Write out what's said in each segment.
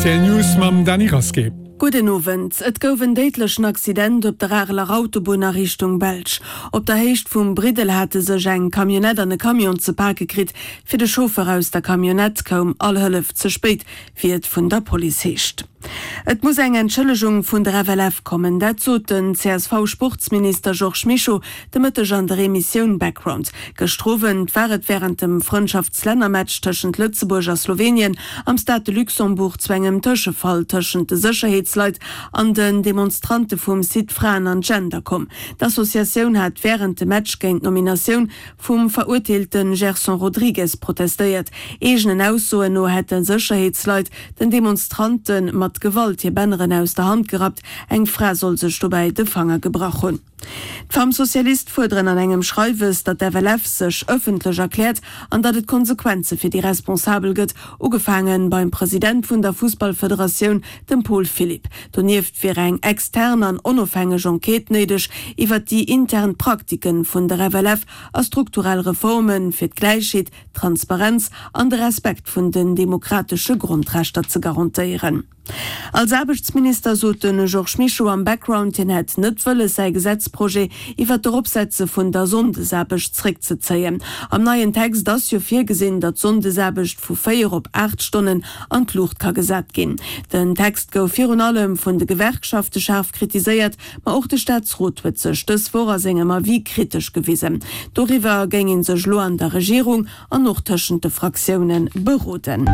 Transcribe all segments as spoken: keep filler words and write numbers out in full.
R T L News mam Dany Rasqué. Gudden Owend. Et gouf en déidlechen Accident op der Areler Autobunn a Richtung Belsch. Op der Héicht vum Briddel hate sech eng Camionnette an e Camion ze pake kritt. Fir de Chauffer aus der Camionnette koum all Hëllef ze spéit, wéi et vun der Police heescht. Et muss eng Entschëllegung vun der F L F kommen, dat sot den C S V-Sportsminister Georges Mischo de Mëtteg an der Emissioun Background. Gëschter Owend war et wärend dem Frëndschaftslännermatch tëschent Lëtzebuerg a Slowenien am Stade de Luxembourg zu engem Tëschefall tëschent de Sécherheetsleit an den Demonstrante vum Site Fraen an Gender komm. D'Associatioun hat wärend dem Match géint d'Nominatioun vum verurteelte Gerson Rodrigues protestéiert. Eegenen Aussoen no hätte Sécherheetsleit den Demonstrante mat Gewalt hir Banneren aus der Hand gerappt. Eng Fra soll sech dobäi de Fanger gebrach hunn. D'Femmes Socialistes fuerderen an engem Schreiwes, datt d'F L F sech ëffentlech erkläert an datt et Konsequenze fir déi Responsabel gëtt, ugefaange beim President vun der Fussballfederatioun, dem Paul Philipp. Donieft wier eng extern an onofhängeg Enquête néideg iwwer déi intern Praktike vun der F L F a strukturell Reforme fir d'Gläichheet, Transparenz an de Respekt vun den demokratesche Grondrechter ze garantéieren. Als Aarbechtsminister sot de Georges Mischo am Background, hien hätt net wëlles säi Gesetzprojet iwwer d'Eropsetze vun der Sonndesaarbecht zréckzezéien. Am neien Text ass jo virgesinn, datt d'Sonndesaarbecht vu véier op aacht Stonnen an d'Luucht ka gesat ginn. Den Text gouf virun allem vun de Gewerkschafte schaarf kritiséiert, ma och de Staatsrot huet sech dës Woch a sengem Avis kritesch gewisen. Doriwwer géing ee sech lo an der Regierung an och tëschent de Fraktioune beroden.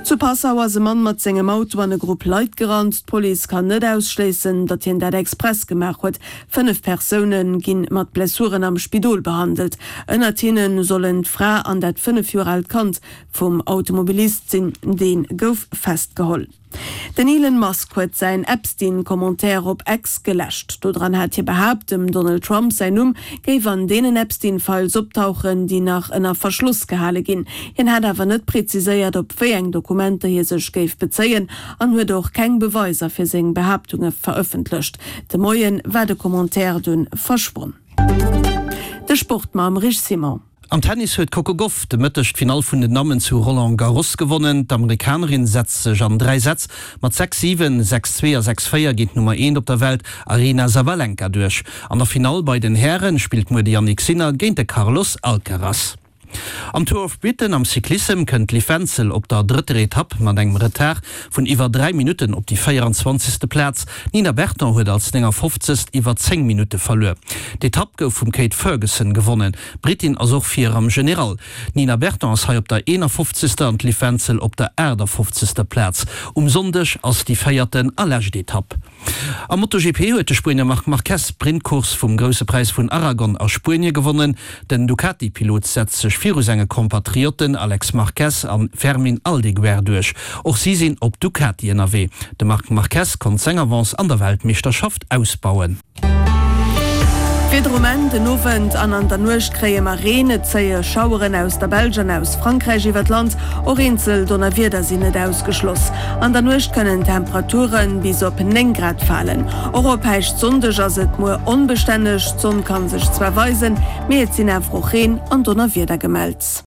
Zu Passau ass e Mann mat sengem Auto an e Grupp Leit gerannt. D'Police kann net ausschléissen, datt hien dat express gemaach huet. Fënnef Persoune gi mat Blessuren am Spidol behandelt. Ënnert hinne sollen d'Fra an dat fënnef Joer aalt Kand vum Automobilist sinn. Dee gouf festgeholl. Den Elon Musk huet säin Epstein-Commentaire op X geläscht. Dodran hat hie behaapt, dem Donald Trump säin Numm géif an deenen Epstein-Files optauchen, déi nach ënner Verschloss gehale ginn. Hien hat awer net präziséiert, op wéi eng Dokumenter hie sech géif bezéien an huet och keng Beweiser fir seng Behaaptunge verëffentlecht. De Moie war de Commentaire dunn verschwonn. De Sport mam Rich Simon. Am Tennis huet d'Coco Gauff de Mëtteg d'Finall vun den Dammen zu Roland Garros gewonnen. D'Amerikanerin setzt sech an dräi Sätz mat sechs siwen, sechs zwee a sechs véier géint d'Nummer eent op der Welt Aryna Sabalenka duerch. An der Finall bei den Häre spillt muer de Jannik Sinner géint de Carlos Alcaraz. Am Tour of Britain am Cyclissem kënnt d'Liv Wenzel op der drëtter Etapp mat engem Retard vun iwwer dräi Minutten op déi véieranzwanzegste Plaz. D'Nina Berton huet als néngafofzegst iwwer zéng Minutte verluer. D'Etapp gouf vum Kate Ferguson gewonnen. D'Britin ass och vir am General. D'Nina Berton ass hei op der eenafofzegster an d'Liv Wenzel op der aachtafofzegster Plaz. Um Sonndeg ass déi véierten a lescht Etapp. Am MotoGP huet de Spuenier Marc Marquez d'Sprintcourse vum Grousse Präis vun Aragon a Spuenie gewonnen. Den Ducati-Pilot setzt sech viru senge Kompatriotten Alex Marquez a Fermin Aldeguer duerch. Och si sinn op Ducati ënnerwee. De Marc Marquez konnt seng Avance an der Weltmeeschterschaft ausbauen. Wieder um Enn, Den Owend an an der Nuecht kréie mer Reen, et zéie Schaueren aus der Belsch an aus Frankräich iwwer d'Land, och eenzel Donnerwieder sinn net ausgeschloss. An der Nuecht kënnen d'Temperature bis op néng Grad falen. Och op Päischtsonndeg ass et muer onbestänneg, d'Sonn ka sech zwar weisen, mee et sinn awer och Reen an Donnerwieder gemellt.